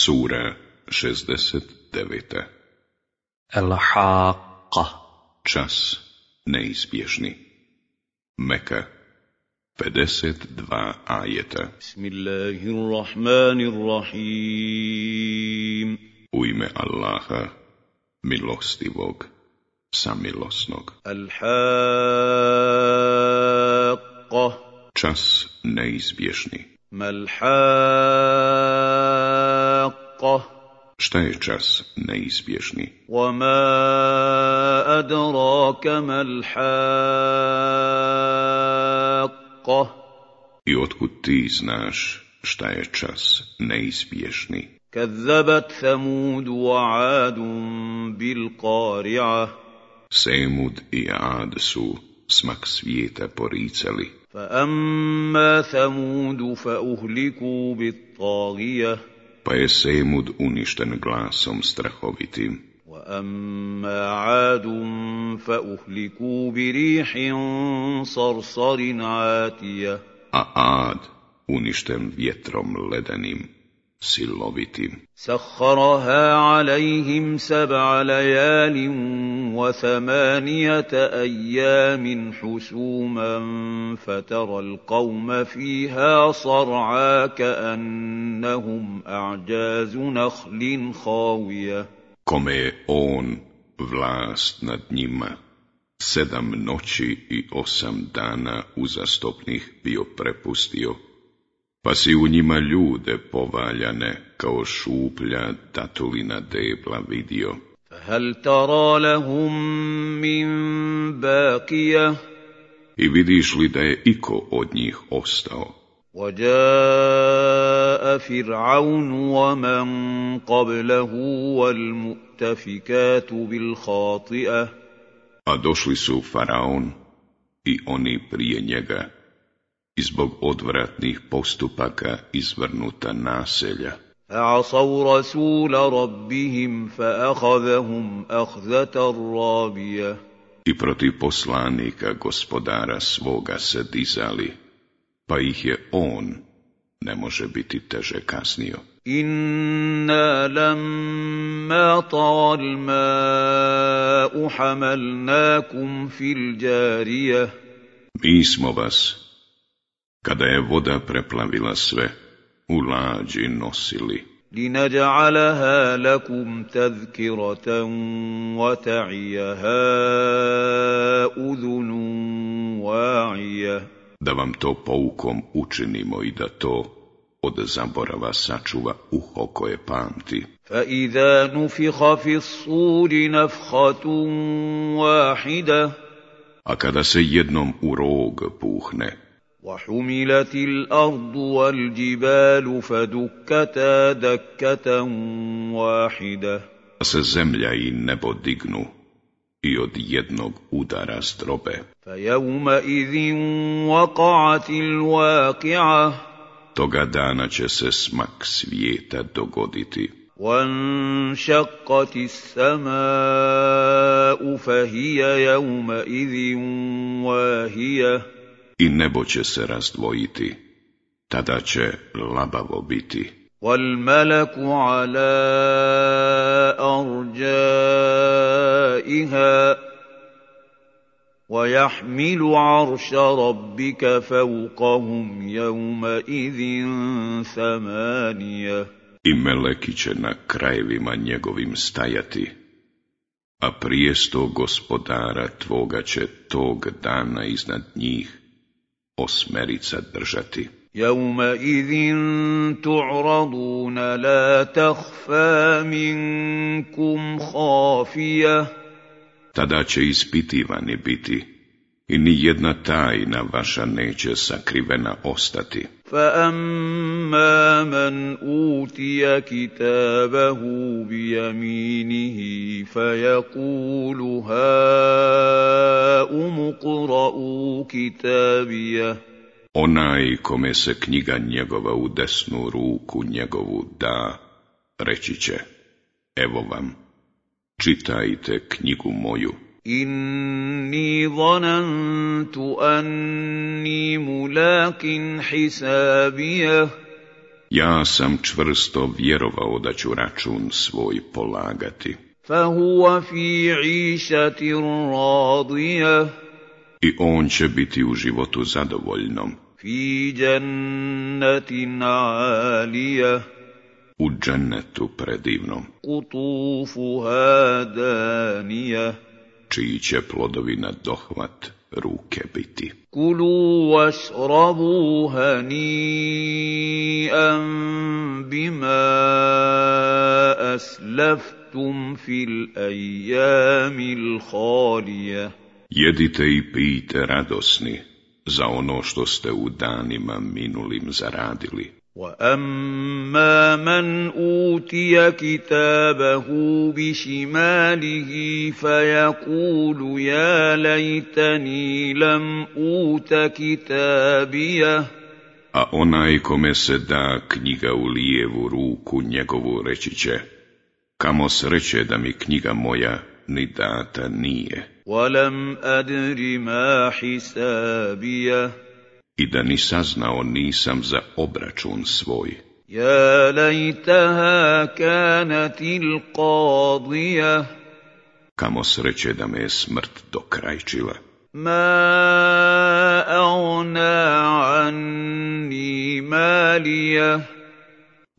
Sura 69. Al-Haqqa. Čas neizbježni. Meka 52 ajeta. Bismillahirrahmanirrahim. U ime Allaha, milostivog, samilosnog. Al-Haqqa. Čas neizbježni. Mal-Haqqa. Šta je čas neizbježni? وَمَا أَدْرَاكَ مَا الْحَاقَّةُ. I otkud ti znaš šta je čas neizbježni? كَذَّبَتْ ثَمُودُ وَعَادٌ بِالْقَارِعَةِ. Semud i Ad su smak svijeta poricali. فَأَمَّا ثَمُودُ فَأُهْلِكُوا بِالطَّاغِيَةِ. Pa je Semud uništen glasom strahovitim. وَأَمَّا عَادٌ فَأُهْلِكُوا بِرِيحٍ صَرْصَرٍ عَاتِيَةٍ. A Ad uništen vjetrom ledenim, silovitim. سَخَّرَهَا عَلَيْهِمْ 7 لَيَالٍ و8 أيام حُسُومًا فَتَرَى الْقَوْمَ فِيهَا صَرْعَىٰ كَأَنَّهُمْ أَعْجَازُ نَخْلٍ خَاوِيَةٍ. Kome je on vlast nad njima 7 noći i 8 dana uzastopnih bio prepustio, pa si u njima ljude povaljane kao šuplja datulina debla vidio. فَهَلْ تَرَى لَهُم مِّن بَاقِيَةٍ. I vidiš li da je iko od njih ostao? وَجَاءَ فِرْعَوْنُ وَمَن قَبْلَهُ وَالْمُؤْتَفِكَاتُ بِالْخَاطِئَةِ. A došli su Faraon i oni prije njega, i zbog odvratnih postupaka izvrnuta naselja. فَعَصَوْا رَسُولَ رَبِّهِمْ فَأَخَذَهُمْ أَخْذَةً رَّابِيَةً. I protiv poslanika gospodara svoga se dizali, pa ih je on, ne može biti teže kaznio. إِنَّا لَمَّا طَغَى الْمَاءُ حَمَلْنَاكُمْ فِي الْجَارِيَةِ. Mi smo vas, kada je voda preplavila sve, u lađi nosili. لِنَجْعَلَهَا لَكُمْ تَذْكِرَةً وَتَعِيَهَا أُذُنٌ وَاعِيَةٌ. Da vam to poukom učinimo i da to od zaborava sačuva uho koje pamti. فَإِذَا نُفِخَ فِي الصُّورِ نَفْخَةٌ وَاحِدَةٌ. A kada se jednom u rog puhne, وَحُمِلَتِ الْأَرْضُ وَالْجِبَالُ فَدُكَّتَا دَكَّةً وَاحِدَةً. a se zemlja i nebo dignu i od jednog udara zdrobe. فَيَوْمَئِذٍ وَقَعَتِ الْوَاقِعَةُ. Toga dana će se smak svijeta dogoditi. وَانشَقَّتِ السَّمَاءُ فَهِيَ يَوْمَئِذٍ وَاهِيَةٌ. I nebo će se razdvojiti, tada će labavo biti. وَالْمَلَكُ عَلَىٰ أَرْجَائِهَا وَيَحْمِلُ عَرْشَ رَبِّكَ فَوْقَهُمْ يَوْمَئِذٍ 8. I meleki će na krajevima njegovim stajati, a prijesto gospodara tvoga će tog dana iznad njih 8 držati. يَوْمَئِذٍ تُعْرَضُونَ لَا تَخْفَىٰ مِنكُمْ خَافِيَةٌ. Tada će ispitivani biti i ni jedna tajna vaša neće sakrivena ostati. فَأَمَّا مَنْ أُوتِيَ كِتَابَهُ بِيَمِينِهِ فَيَقُولُ هَاؤُمُ اقْرَءُوا كِتَابِيَهْ. Onaj kome se knjiga njegova u desnu ruku njegovu da, reći će, evo vam, čitajte knjigu moju. إِنِّي ظَنَنْتُ أَنِّي مُلَاقٍ حِسَابِيَهْ. Ja sam čvrsto vjerovao da ću račun svoj polagati. فهو في عيشة راضية I on će biti u životu zadovoljnom, في جنة عالية u džennetu predivnom, قطوفها دانية čiji će plodovi na dohvat ruke biti. كلوا واشربوا هنيئا بما أسلفتم في الأيام الخالية Jedite i pijte radosni za ono što ste u danima minulim zaradili. وأما من أوتي كتابه بشماله فيقول يا ليتني لم أوت كتابيه A onaj kome se da knjiga u lijevu ruku njegovu reći će, kamo sreće da mi knjiga moja ni data nije. ولم أدر ما حسابيه I da ni saznao nisam za obračun svoj. يا ليتها كانت القاضية Kamo sreće da me je smrt dokrajčila. ما أغنى عني ماليه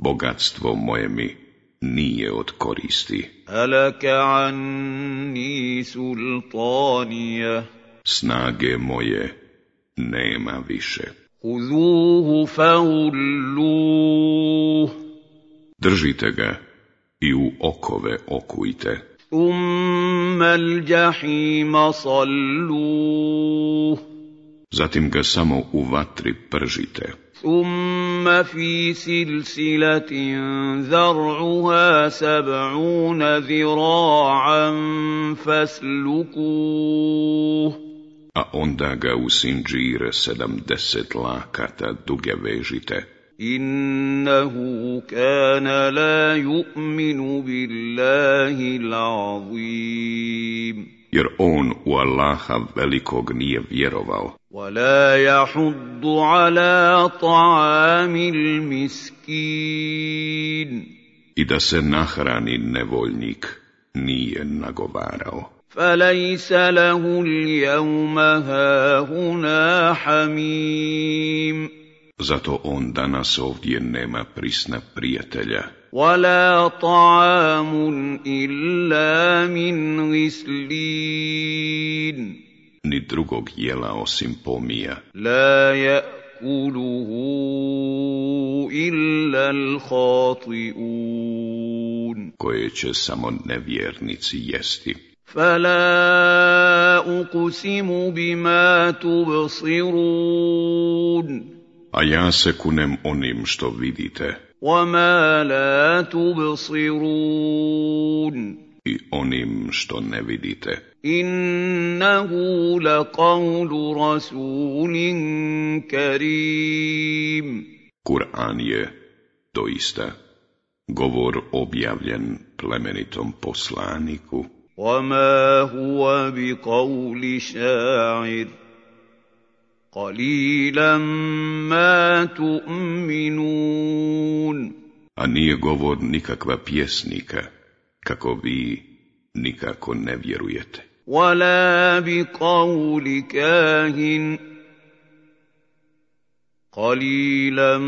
Bogatstvo moje mi nije od koristi. هلك عني سلطانيه Snage moje nema više. خذوه فغلوه Držite ga i u okove okujte. ثم الجحيم صلوه Zatim ga samo u vatri pržite. ثم في سلسلة ذرعها 70 ذراعا فاسلكوه A onda ga u sinđir 70 lakata duge vežite. إنه كان لا يؤمن بالله العظيم Jer on u Allaha velikog nije vjerovao. ولا يحض على طعام المسكين I da se nahrani nevoljnik nije nagovarao. فليس له اليوم هاهنا حميم Zato on danas ovdje nema prisna prijatelja. ولا طعام إلا من غسلين Ni drugog jela osim pomija. لا يأكله إلا الخاطئون Koje će samo nevjernici jesti. فلا أقسم بما تبصرون A ja se kunem onim što vidite وما لا تبصرون i onim što ne vidite. إنه لقول رسول كريم Kur'an je doista govor objavljen plemenitom poslaniku. وما هو بقول شاعر قليلا ما تؤمنون A nije govor nikakva pjesnika, kako vi nikako ne vjerujete. ولا بقول كاهن قليلا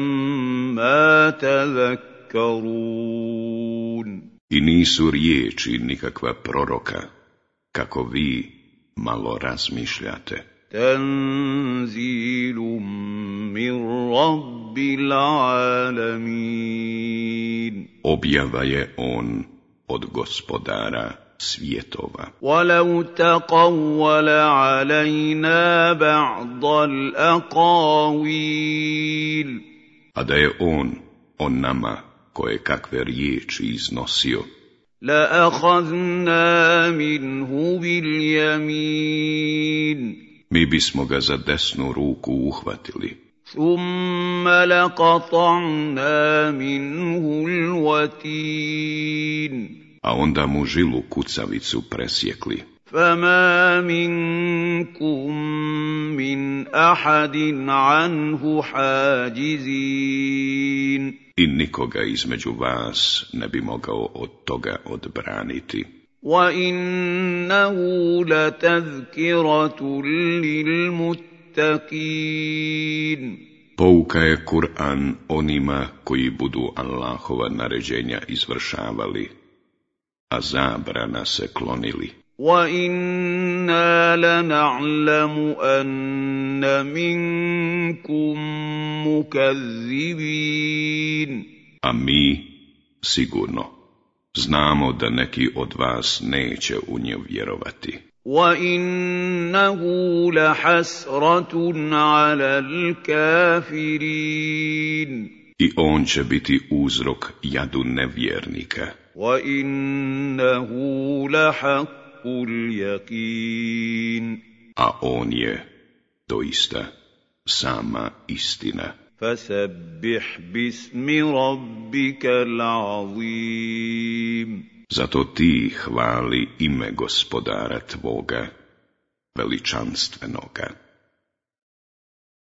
ما تذكرون I nisu riječi nikakva proroka, kako vi malo razmišljate. تنزيل من رب العالمين Objava je on od gospodara svjetova. ولو تقول علينا بعض الأقاويل A da je on nama koje kakve riječi iznosio, لأخذنا منه باليمين mi bismo ga za desnu ruku uhvatili, ثم لقطعنا منه الوتين a onda mu žilu kucavicu presjekli. فما منكم من أحد عنه حاجزين I nikoga između vas ne bi mogao od toga odbraniti. وَإِنَّهُ لَتَذْكِرَةٌ لِّلْمُتَّقِينَ Pouka je Kur'an onima koji budu Allahova naređenja izvršavali, a zabrana se klonili. وَإِنَّا لَنَعْلَمُ أَنَّ مِنكُم مُّكَذِّبِينَ A mi, sigurno, znamo da neki od vas neće u nju vjerovati. وَإِنَّهُ لَحَسْرَةٌ عَلَى الْكَافِرِينَ I on će biti uzrok jadu nevjernika. وَإِنَّهُ لَحَقُّ الْيَقِينِ A on je, doista, sama istina. فَسَبِّحْ بِاسْمِ رَبِّكَ الْعَظِيمِ Zato ti hvali ime Gospodara tvoga, veličanstvenoga.